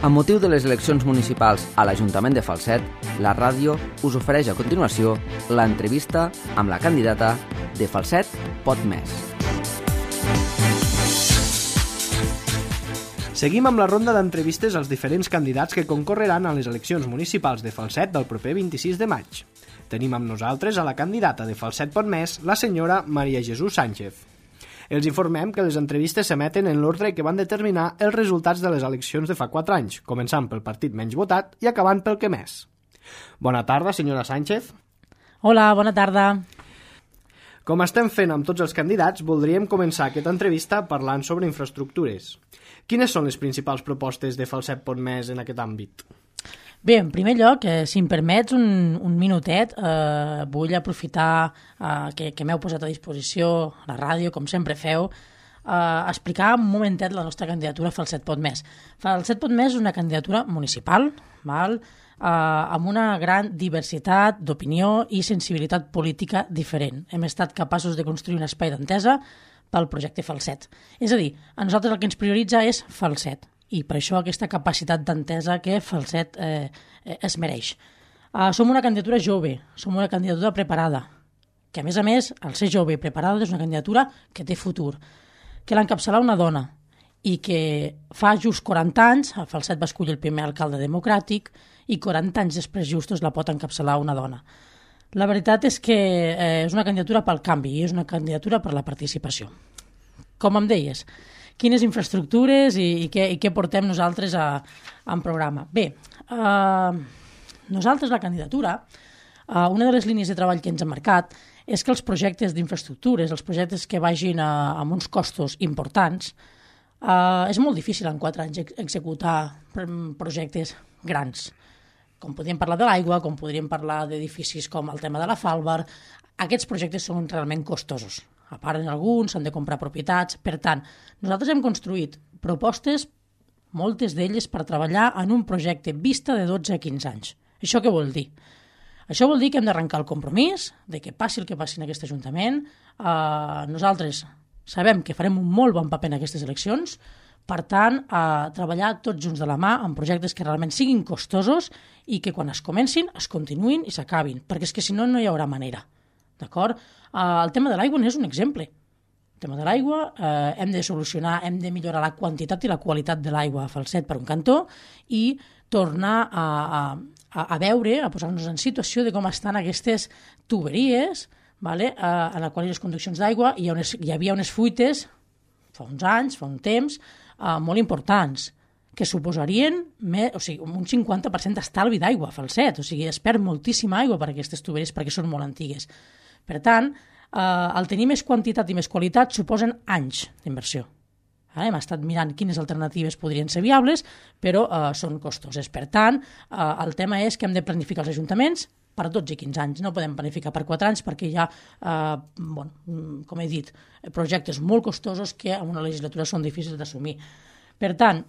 Amb motiu de les eleccions municipals a l'Ajuntament de Falset, la ràdio us ofereix a continuació l'entrevista amb la candidata de Falset Pot Més. Seguim amb la ronda d'entrevistes als diferents candidats que concorreran a les eleccions municipals de Falset del proper 26 de maig. Tenim amb nosaltres a la candidata de Falset Pot Més, la senyora Maria Jesús Sánchez. Els informem que les entrevistes s'emeten en l'ordre que van determinar els resultats de les eleccions de fa 4 anys, començant pel partit menys votat i acabant pel que més. Bona tarda, senyora Sánchez. Hola, bona tarda. Com estem fent amb tots els candidats, voldríem començar aquesta entrevista parlant sobre infraestructures. Quines són les principals propostes de Falset Pot Més en aquest àmbit? Bé, en primer lloc, si em permets un minutet, vull aprofitar que m'heu posat a disposició a la ràdio, com sempre feu, explicar un momentet la nostra candidatura Falset Pot Més. Falset Pot Més és una candidatura municipal, amb una gran diversitat d'opinió i sensibilitat política diferent. Hem estat capaços de construir un espai d'entesa pel projecte Falset. És a dir, a nosaltres el que ens prioritza és Falset, i per això aquesta capacitat d'entesa que Falset es mereix. Som una candidatura jove, som una candidatura preparada, que a més, al ser jove i preparada és una candidatura que té futur, que l'encapçalarà una dona i que fa just 40 anys, el Falset va escollir el primer alcalde democràtic i 40 anys després justos la pot encapçalar una dona. La veritat és que és una candidatura pel canvi i és una candidatura per la participació. Com em deies, quines infraestructures i què portem nosaltres en programa? Bé, nosaltres la candidatura, una de les línies de treball que ens hem marcat és que els projectes d'infraestructures, els projectes que vagin amb uns costos importants, és molt difícil en 4 anys executar projectes grans. Com podríem parlar de l'aigua, com podríem parlar d'edificis com el tema de la Falbar, aquests projectes són realment costosos. A part, en alguns s'han de comprar propietats. Per tant, nosaltres hem construït propostes, moltes d'elles, per treballar en un projecte vista de 12 a 15 anys. Això què vol dir? Això vol dir que hem d'arrencar el compromís, de que passi el que passi en aquest Ajuntament. Nosaltres sabem que farem un molt bon paper en aquestes eleccions, per tant, treballar tots junts de la mà en projectes que realment siguin costosos i que quan es comencin, es continuïn i s'acabin, perquè és que si no, no hi haurà manera. D'acord? El tema de l'aigua n'és un exemple. El tema de l'aigua hem de solucionar, hem de millorar la quantitat i la qualitat de l'aigua a Falset per un cantó i tornar a veure, a posar-nos en situació de com estan aquestes tuberies, en les quals les conduccions d'aigua hi havia unes fuites fa uns anys, fa un temps, molt importants, que suposarien un 50% d'estalvi d'aigua a Falset. O sigui, es perd moltíssima aigua per aquestes tuberies perquè són molt antigues. Per tant, el tenir més quantitat i més qualitat suposen anys d'inversió. Hem estat mirant quines alternatives podrien ser viables, però són costoses. Per tant, el tema és que hem de planificar els ajuntaments per 12 i 15 anys. No podem planificar per 4 anys perquè hi ha, com he dit, projectes molt costosos que en una legislatura són difícils d'assumir. Per tant,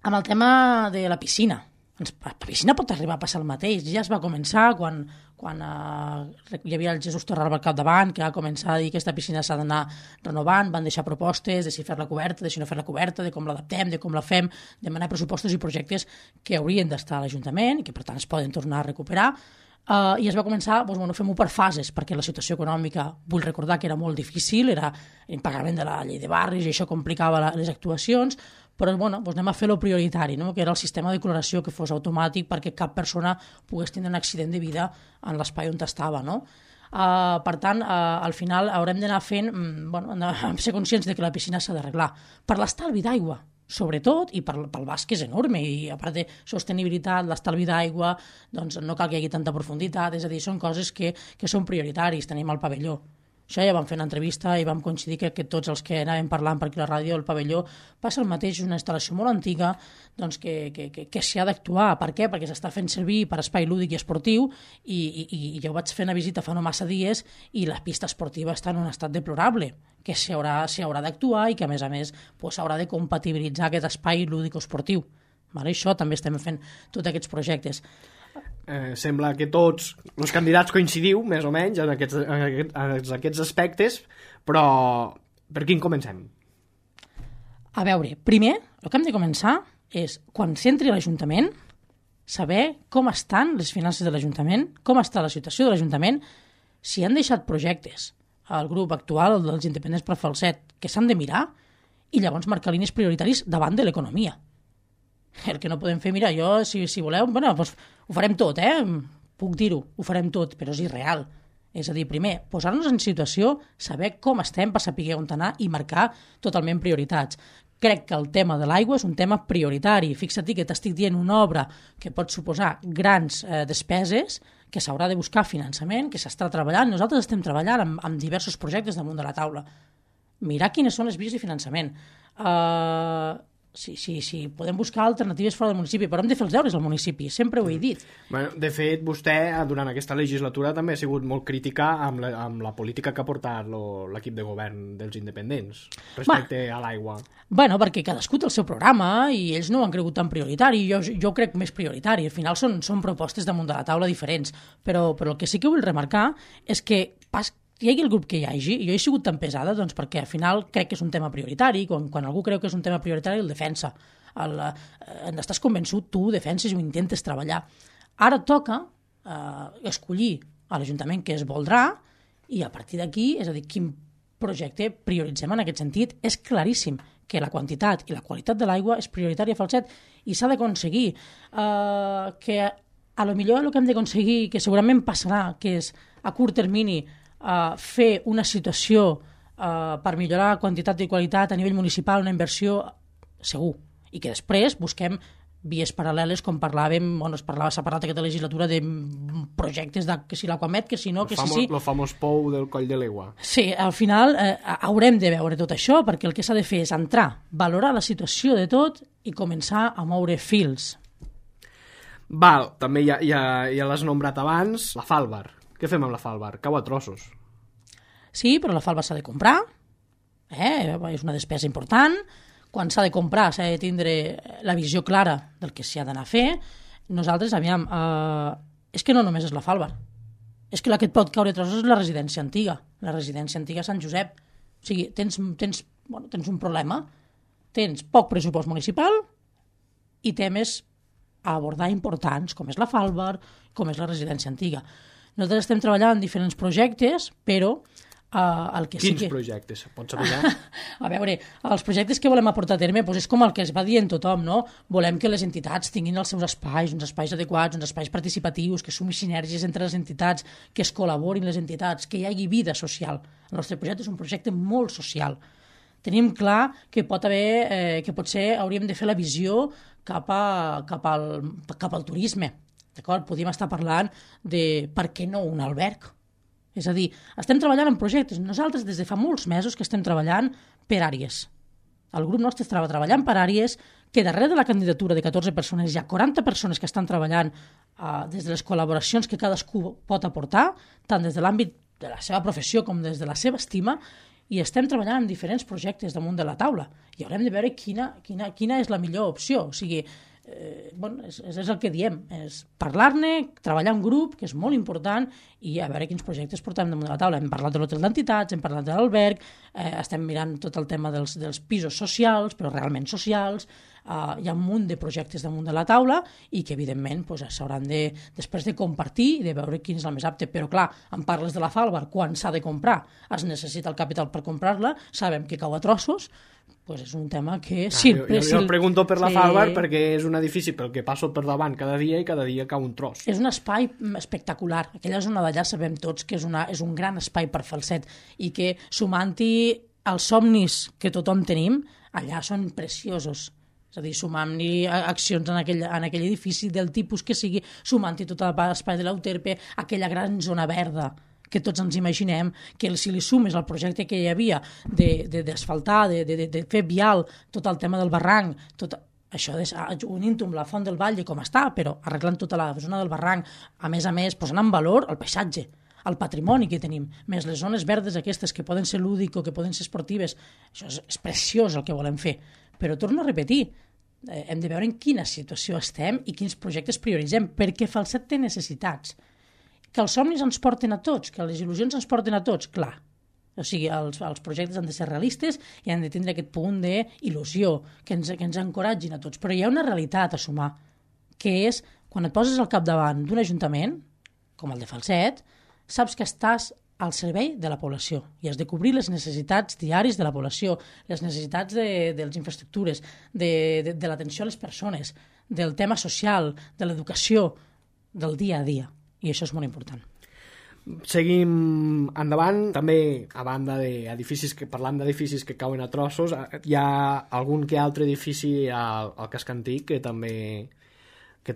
amb el tema de la piscina, la piscina pot arribar a passar el mateix. Ja es va començar quan hi havia el Jesús Torralba al capdavant, que va començar a dir que aquesta piscina s'ha d'anar renovant, van deixar propostes de si fer-la coberta, de si no fer-la coberta, de com l'adaptem, de com la fem, demanar pressupostos i projectes que haurien d'estar a l'Ajuntament i que per tant es poden tornar a recuperar. I es va començar, fem-ho per fases, perquè la situació econòmica, vull recordar que era molt difícil, era impagament de la llei de barris i això complicava les actuacions, però anem a fer lo prioritari, que era el sistema de cloració que fos automàtic perquè cap persona pogués tenir un accident de vida en l'espai on estava. Per tant, al final haurem d'anar fent, ser conscients de que la piscina s'ha d'arreglar per l'estalvi d'aigua, sobretot, i pel bas que és enorme, i a part de sostenibilitat, l'estalvi d'aigua, doncs no cal que hi hagi tanta profunditat, és a dir, són coses que són prioritaris. Tenim el pavelló. Això ja vam fer una entrevista i vam coincidir que tots els que anàvem parlant per aquí a la ràdio, el pavelló passa el mateix, és una instal·lació molt antiga, doncs que s'hi ha d'actuar. Per què? Perquè s'està fent servir per espai lúdic i esportiu i jo vaig fer una visita fa no massa dies i la pista esportiva està en un estat deplorable, que s'hi haurà d'actuar i que a més s'haurà de compatibilitzar aquest espai lúdic o esportiu. Això també estem fent tots aquests projectes. Sembla que tots els candidats coincidiu més o menys en aquests aspectes, però per quin comencem? A veure, primer, el que hem de començar és, quan s'entri a l'Ajuntament, saber com estan les finances de l'Ajuntament, com està la situació de l'Ajuntament, si han deixat projectes al grup actual dels independents per Falset que s'han de mirar i llavors marcar línies prioritaris davant de l'economia. El que no podem fer, mira, jo, si voleu, bueno, doncs ho farem tot, puc dir-ho, ho farem tot, però és irreal. És a dir, primer, posar-nos en situació, saber com estem per saber on anar i marcar totalment prioritats. Crec que el tema de l'aigua és un tema prioritari. Fixa't que t'estic dient una obra que pot suposar grans despeses, que s'haurà de buscar finançament, que s'està treballant. Nosaltres estem treballant amb diversos projectes damunt de la taula. Mirar quines són les vies de finançament. Sí, podem buscar alternatives fora del municipi, però hem de fer els deures al municipi, sempre ho he dit. Bueno, de fet, vostè, durant aquesta legislatura, també ha sigut molt crítica amb la política que ha portat l'equip de govern dels independents respecte a l'aigua. Bueno, perquè cadascú té el seu programa i ells no ho han cregut tan prioritari, jo crec més prioritari. Al final són propostes damunt de la taula diferents, però el que sí que vull remarcar és que hi hagi el grup que hi hagi, jo he sigut tan pesada doncs perquè al final crec que és un tema prioritari, quan algú creu que és un tema prioritari el defensa. Estàs convençut, tu ho defenses i ho intentes treballar. Ara toca escollir a l'Ajuntament què es voldrà i a partir d'aquí, és a dir, quin projecte prioritzem en aquest sentit. És claríssim que la quantitat i la qualitat de l'aigua és prioritària a Falset i s'ha d'aconseguir que a lo millor el que hem d'aconseguir, que segurament passarà, que és a curt termini fer una situació per millorar la quantitat i qualitat a nivell municipal, una inversió segur, i que després busquem vies paral·leles, com parlàvem, s'ha parlat aquesta legislatura de projectes que si l'Aquamet, que si no, que sí. El famós pou del Coll de l'Egua. Sí, al final haurem de veure tot això, perquè el que s'ha de fer és entrar, valorar la situació de tot i començar a moure fils. Val, també ja l'has nombrat abans, la Falbar. Què fem amb la Falbar? Cau a trossos. Sí, però la Falbar s'ha de comprar, és una despesa important. Quan s'ha de comprar s'ha de tindre la visió clara del que s'hi ha d'anar a fer. Nosaltres, és que no només és la Falbar, és que la que et pot caure a trossos és la residència antiga, Sant Josep. O sigui, tens un problema, tens poc pressupost municipal i temes a abordar importants, com és la Falbar, com és la residència antiga. Nosaltres estem treballant en diferents projectes, però el que sí que... Quins projectes? Pots saber? A veure, els projectes que volem aportar a terme és com el que es va dient tothom, no? Volem que les entitats tinguin els seus espais, uns espais adequats, uns espais participatius, que sumi sinergies entre les entitats, que es col·laborin les entitats, que hi hagi vida social. El nostre projecte és un projecte molt social. Tenim clar que potser hauríem de fer la visió cap al turisme. D'acord? Podríem estar parlant de per què no un alberg. És a dir, estem treballant en projectes. Nosaltres des de fa molts mesos que estem treballant per àrees. El grup nostre estava treballant per àrees, que darrere de la candidatura de 14 persones hi ha 40 persones que estan treballant des de les col·laboracions que cadascú pot aportar, tant des de l'àmbit de la seva professió com des de la seva estima, i estem treballant en diferents projectes damunt de la taula. I haurem de veure quina és la millor opció. O sigui, és el que diem, és parlar-ne, treballar en grup, que és molt important, i a veure quins projectes portem damunt de la taula. Hem parlat de l'hotel d'entitats, hem parlat de l'alberg, estem mirant tot el tema dels pisos socials, però realment socials. Hi ha un munt de projectes damunt de la taula i que, evidentment, s'hauran després de compartir i de veure quin és el més apte. Però, clar, em parles de la Falbar, quan s'ha de comprar, es necessita el capital per comprar-la, sabem que cau a trossos, és un tema que sempre... Jo pregunto per la Falbar perquè és un edifici pel que passo per davant cada dia i cada dia cau un tros. És un espai espectacular. Aquella zona d'allà sabem tots que és un gran espai per Falset i que, sumant-hi els somnis que tothom tenim, allà són preciosos. És a dir, sumant-hi accions en aquell edifici del tipus que sigui, sumant-hi tot l'espai de l'Euterpe, aquella gran zona verda que tots ens imaginem, que si li sumes al projecte que hi havia d'asfaltar, de fer vial, tot el tema del barranc, tot això unint-ho amb la Font del Valle com està, però arreglant tota la zona del barranc, a més, posant en valor el paisatge, el patrimoni que tenim, més les zones verdes aquestes que poden ser lúdico, que poden ser esportives, això és preciós el que volem fer. Però torno a repetir, hem de veure en quina situació estem i quins projectes prioritzem, perquè Falset té necessitats. Que els somnis ens porten a tots, que les il·lusions ens porten a tots, clar. O sigui, els projectes han de ser realistes i han de tindre aquest punt d'il·lusió que ens encoratgin a tots. Però hi ha una realitat a sumar, que és quan et poses al capdavant d'un ajuntament, com el de Falset, saps que estàs al servei de la població i has de cobrir les necessitats diàries de la població, les necessitats de les infraestructures, de l'atenció a les persones, del tema social, de l'educació, del dia a dia. I això és molt important. Seguim endavant. També, a banda d'edificis, parlant d'edificis que cauen a trossos, hi ha algun que altre edifici al casc antic que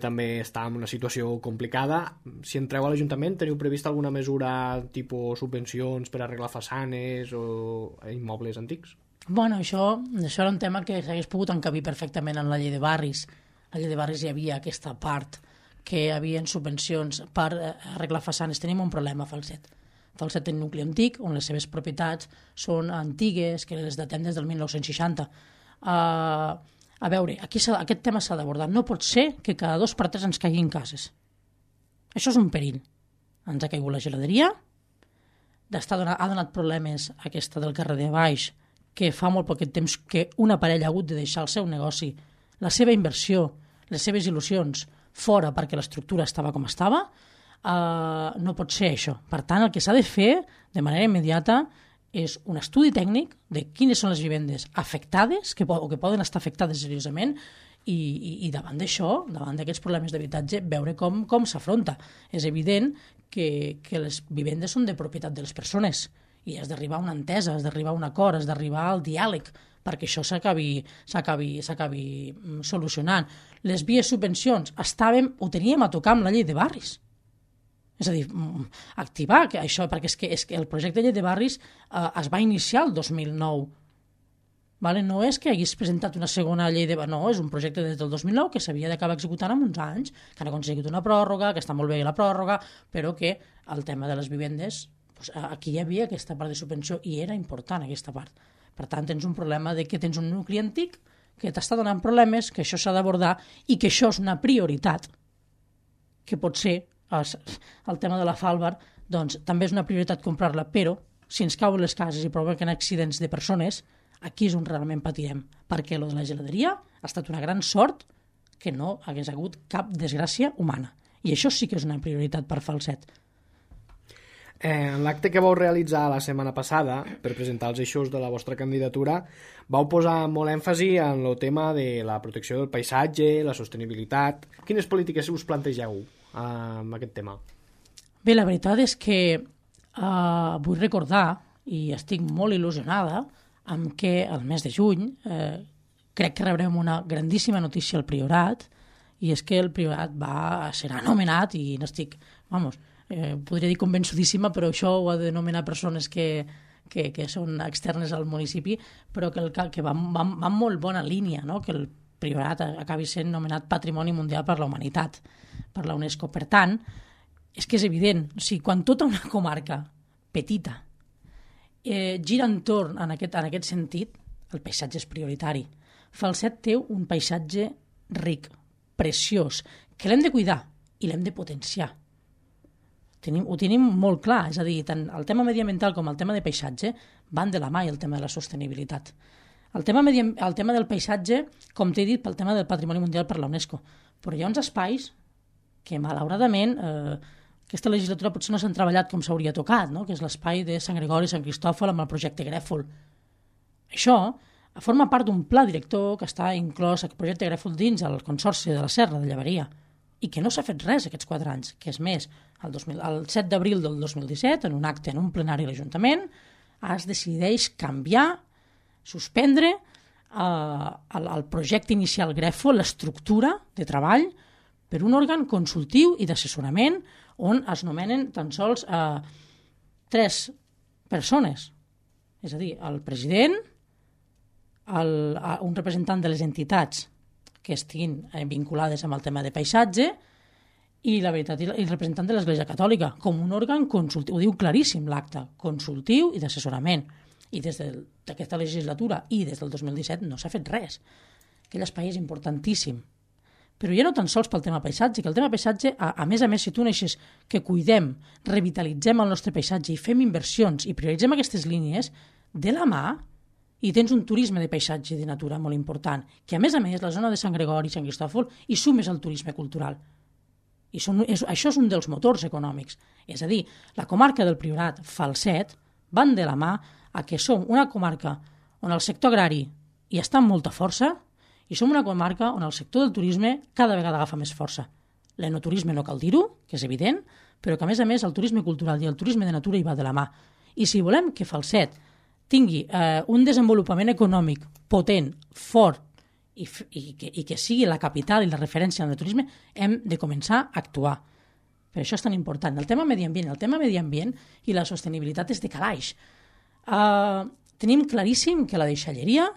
també està en una situació complicada. Si entreu a l'Ajuntament, teniu previst alguna mesura tipus subvencions per arreglar façanes o immobles antics? Bueno, això era un tema que s'hagués pogut encabir perfectament en la llei de barris. A la llei de barris hi havia aquesta part que hi havia subvencions per arreglar façanes. Tenim un problema a Falset. Falset té un nucli antic on les seves propietats són antigues, que les datem des del 1960. A veure, aquí aquest tema s'ha d'abordar. No pot ser que cada 2 per 3 ens caiguin cases. Això és un perill. Ens ha caigut la geladeria, ha donat problemes aquesta del carrer de baix, que fa molt poc temps que una parella ha hagut de deixar el seu negoci, la seva inversió, les seves il·lusions, fora perquè l'estructura estava com estava. No pot ser això. Per tant, el que s'ha de fer de manera immediata és un estudi tècnic de quines són les vivendes afectades o que poden estar afectades seriosament i davant d'això, davant d'aquests problemes d'habitatge, veure com s'afronta. És evident que les vivendes són de propietat de les persones i has d'arribar a una entesa, has d'arribar a un acord, has d'arribar al diàleg perquè això s'acabi solucionant. Les vies subvencions ho teníem a tocar amb la llei de barris. És a dir, activar això, perquè és que el projecte de llei de barris es va iniciar el 2009. Vale? No és que hagués presentat una segona llei de barris, no, és un projecte des del 2009 que s'havia d'acabar executant en uns anys, que han aconseguit una pròrroga, que està molt bé la pròrroga, però que el tema de les vivendes, doncs, aquí hi havia aquesta part de subvenció i era important aquesta part. Per tant, tens un problema de que tens un nucli antic que t'està donant problemes, que això s'ha d'abordar i que això és una prioritat, que pot ser el tema de la Falbar, doncs també és una prioritat comprar-la, però si ens cauen les cases i provoquen accidents de persones, aquí és on realment patirem, perquè lo de la geladeria ha estat una gran sort que no hagués hagut cap desgràcia humana. I això sí que és una prioritat per Falset. En l'acte que vau realitzar la setmana passada per presentar els eixos de la vostra candidatura, vau posar molt èmfasi en el tema de la protecció del paisatge, la sostenibilitat. Quines polítiques us plantegeu amb aquest tema? Bé, la veritat és que vull recordar, i estic molt il·lusionada, amb que el mes de juny crec que rebrem una grandíssima notícia al Priorat, i és que el Priorat serà nomenat, i no estic, podria dir convençudíssima, però això ho ha de nomenar persones que són externes al municipi, però que van molt bona línia, no? Que el Priorat acabi sent nomenat Patrimoni Mundial per la Humanitat, per la UNESCO. Per tant, és que és evident, o sigui, quan tota una comarca petita gira entorn en aquest sentit, el paisatge és prioritari. Falset té un paisatge ric, preciós, que l'hem de cuidar i l'hem de potenciar. Ho tenim molt clar, és a dir, tant el tema mediambiental com el tema de paisatge van de la mà i el tema de la sostenibilitat. El tema del paisatge, com t'he dit, pel tema del Patrimoni Mundial per la UNESCO, però hi ha uns espais que malauradament aquesta legislatura potser no s'han treballat com s'hauria tocat, no? Que és l'espai de Sant Gregori i Sant Cristòfol amb el projecte Grèfol. Això forma part d'un pla director que està inclòs el projecte Grèfol dins el Consorci de la Serra de Llevaria i que no s'ha fet res aquests 4 anys, que és més, el 7 d'abril del 2017, en un acte en un plenari a l'Ajuntament, es decideix canviar, suspendre el projecte inicial Grèfol, l'estructura de treball, per un òrgan consultiu i d'assessorament on es nomenen tan sols 3 persones, és a dir, el president, un representant de les entitats que estiguin vinculades amb el tema de paisatge i la veritat el representant de l'Església Catòlica, com un òrgan consultiu, ho diu claríssim l'acte, consultiu i d'assessorament. I des d'aquesta legislatura i des del 2017 no s'ha fet res. Aquell espai és importantíssim però ja no tan sols pel tema paisatge, que el tema paisatge, a més, si tu neixes que cuidem, revitalitzem el nostre paisatge i fem inversions i prioritzem aquestes línies, de la mà, i tens un turisme de paisatge i de natura molt important, que a més, la zona de Sant Gregori i Sant Cristòfol hi sumes al turisme cultural. I això és un dels motors econòmics. És a dir, la comarca del Priorat, Falset, van de la mà a que som una comarca on el sector agrari hi està amb molta força i som una comarca on el sector del turisme cada vegada agafa més força. L'enoturisme no cal dir-ho, que és evident, però que a més, el turisme cultural i el turisme de natura hi va de la mà. I si volem que Falset tingui un desenvolupament econòmic potent, fort, i que sigui la capital i la referència en el turisme, hem de començar a actuar. Per això és tan important. El tema medi ambient i la sostenibilitat és de calaix. Tenim claríssim que la deixalleria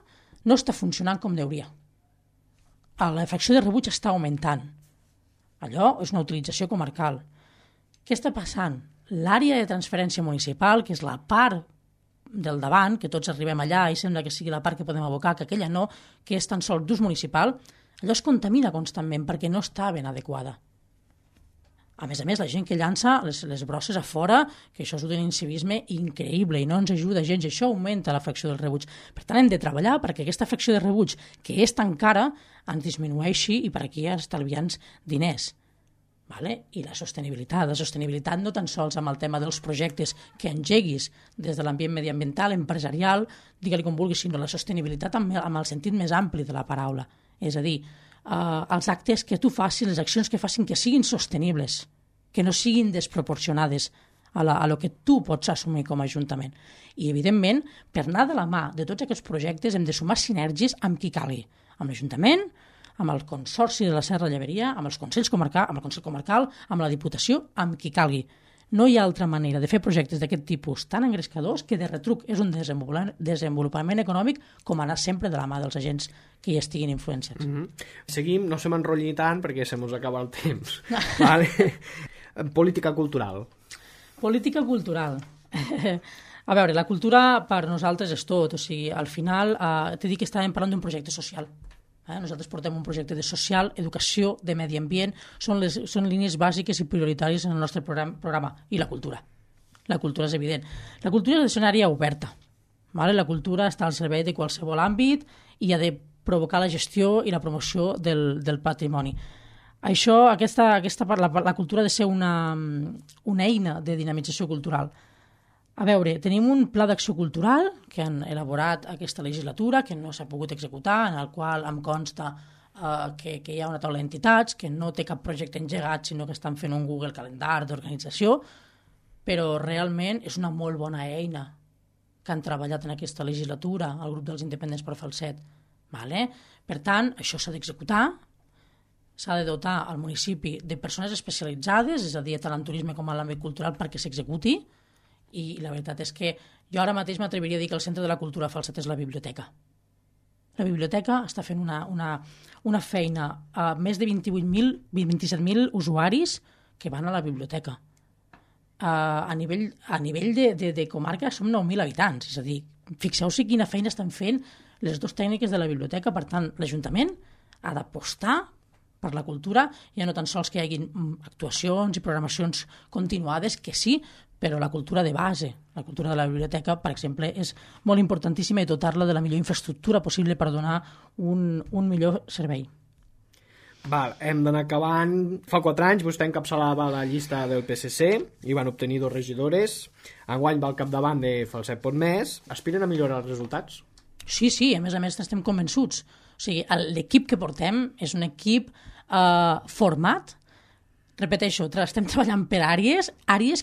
no està funcionant com deuria. La fracció de rebuig està augmentant. Allò és una utilització comarcal. Què està passant? L'àrea de transferència municipal, que és la part del davant, que tots arribem allà i sembla que sigui la part que podem abocar, que aquella no, que és tan sols d'ús municipal, allò es contamina constantment perquè no està ben adequada. A més, la gent que llança les brosses a fora, que això és un incivisme increïble i no ens ajuda gens, això augmenta la fracció del rebuig. Per tant, hem de treballar perquè aquesta fracció de rebuig, que és tan cara, ens disminueixi i per aquí estalviant diners. Vale? I la sostenibilitat no tan sols amb el tema dels projectes que engeguis des de l'ambient mediambiental, empresarial, digue-li com vulguis, sinó la sostenibilitat amb el sentit més ampli de la paraula. És a dir, els actes que tu facis, les accions que facin que siguin sostenibles, que no siguin desproporcionades a lo que tu pots assumir com a Ajuntament. I, evidentment, per anar de la mà de tots aquests projectes hem de sumar sinergies amb qui calgui, amb l'Ajuntament, amb el Consorci de la Serra Lleberia, amb el Consell Comarcal, amb la Diputació, amb qui calgui. No hi ha altra manera de fer projectes d'aquest tipus tan engrescadors que de retruc és un desenvolupament econòmic com anar sempre de la mà dels agents que hi estiguin influenciats. Seguim, no se m'enrotlli tant perquè se mos acaba el temps. Vale. Política cultural. Política cultural. A veure, la cultura per nosaltres és tot. O sigui, al final t'he dit que estàvem parlant d'un projecte social. Nosaltres portem un projecte de social, educació, de medi ambient, són línies bàsiques i prioritàries en el nostre programa. I la cultura. La cultura és evident. La cultura és una àrea oberta. La cultura està al servei de qualsevol àmbit i ha de provocar la gestió i la promoció del patrimoni. La cultura ha de ser una eina de dinamització cultural. A veure, tenim un pla d'acció cultural que han elaborat aquesta legislatura, que no s'ha pogut executar, en el qual em consta que hi ha una taula d'entitats, que no té cap projecte engegat, sinó que estan fent un Google Calendar d'organització, però realment és una molt bona eina que han treballat en aquesta legislatura, el grup dels independents per Falset. Per tant, això s'ha d'executar, s'ha de dotar al municipi de persones especialitzades, és a dir, tant en turisme com en l'àmbit cultural, perquè s'executi. I la veritat és que jo ara mateix m'atreviria a dir que el centre de la cultura a Falset és la biblioteca. La biblioteca està fent una feina a més de 27.000 usuaris que van a la biblioteca. A nivell de comarca som 9.000 habitants, és a dir, fixeu-se quina feina estan fent les dues tècniques de la biblioteca. Per tant, l'Ajuntament ha d'apostar per la cultura, ja no tan sols que hi hagi actuacions i programacions continuades, que sí, però la cultura de base, la cultura de la biblioteca, per exemple, és molt importantíssima i dotar-la de la millor infraestructura possible per donar un millor servei. Hem d'anar acabant. Fa 4 anys vostè encapçalava la llista del PSC i van obtenir 2 regidores. Enguany va al capdavant de Falset Potmés. Aspiren a millorar els resultats? Sí, a més estem convençuts. O sigui, l'equip que portem és un equip format. Repeteixo, estem treballant per àrees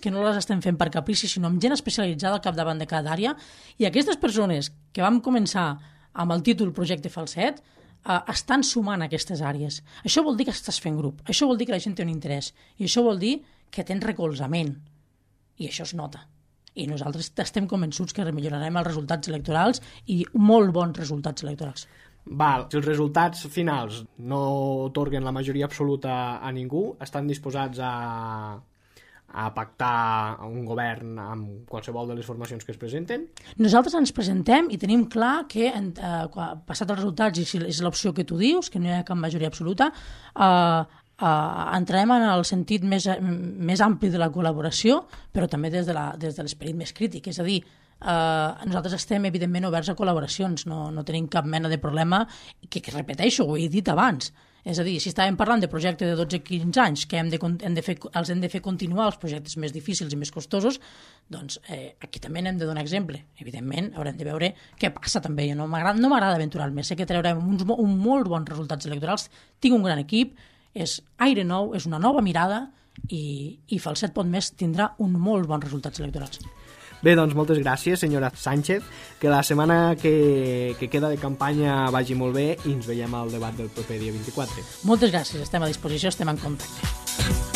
que no les estem fent per caprici, sinó amb gent especialitzada al capdavant de cada àrea, i aquestes persones que vam començar amb el títol Projecte Falset estan sumant aquestes àrees. Això vol dir que estàs fent grup, això vol dir que la gent té un interès, i això vol dir que tens recolzament, i això es nota. I nosaltres estem convençuts que millorarem els resultats electorals i molt bons resultats electorals. Si els resultats finals no otorguen la majoria absoluta a ningú, estan disposats a a pactar un govern amb qualsevol de les formacions que es presenten? Nosaltres ens presentem i tenim clar que, passat els resultats, i si és l'opció que tu dius, que no hi ha cap majoria absoluta, entrarem en el sentit més ampli de la col·laboració, però també des de l'esperit més crític. És a dir, nosaltres estem evidentment oberts a col·laboracions, no tenim cap mena de problema, que repeteixo, ho he dit abans. És a dir, si estàvem parlant de projectes de 12-15 anys que els hem de fer continuar els projectes més difícils i més costosos, doncs aquí també n'hem de donar exemple. Evidentment, haurem de veure què passa també. No m'agrada aventurar-me. Sé que traurem uns molt bons resultats electorals. Tinc un gran equip, és aire nou, és una nova mirada i Falset.mes tindrà uns molt bons resultats electorals. Bé, doncs moltes gràcies, senyora Sánchez, que la setmana que queda de campanya vagi molt bé i ens veiem al debat del proper dia 24. Moltes gràcies, estem a disposició, estem en contacte.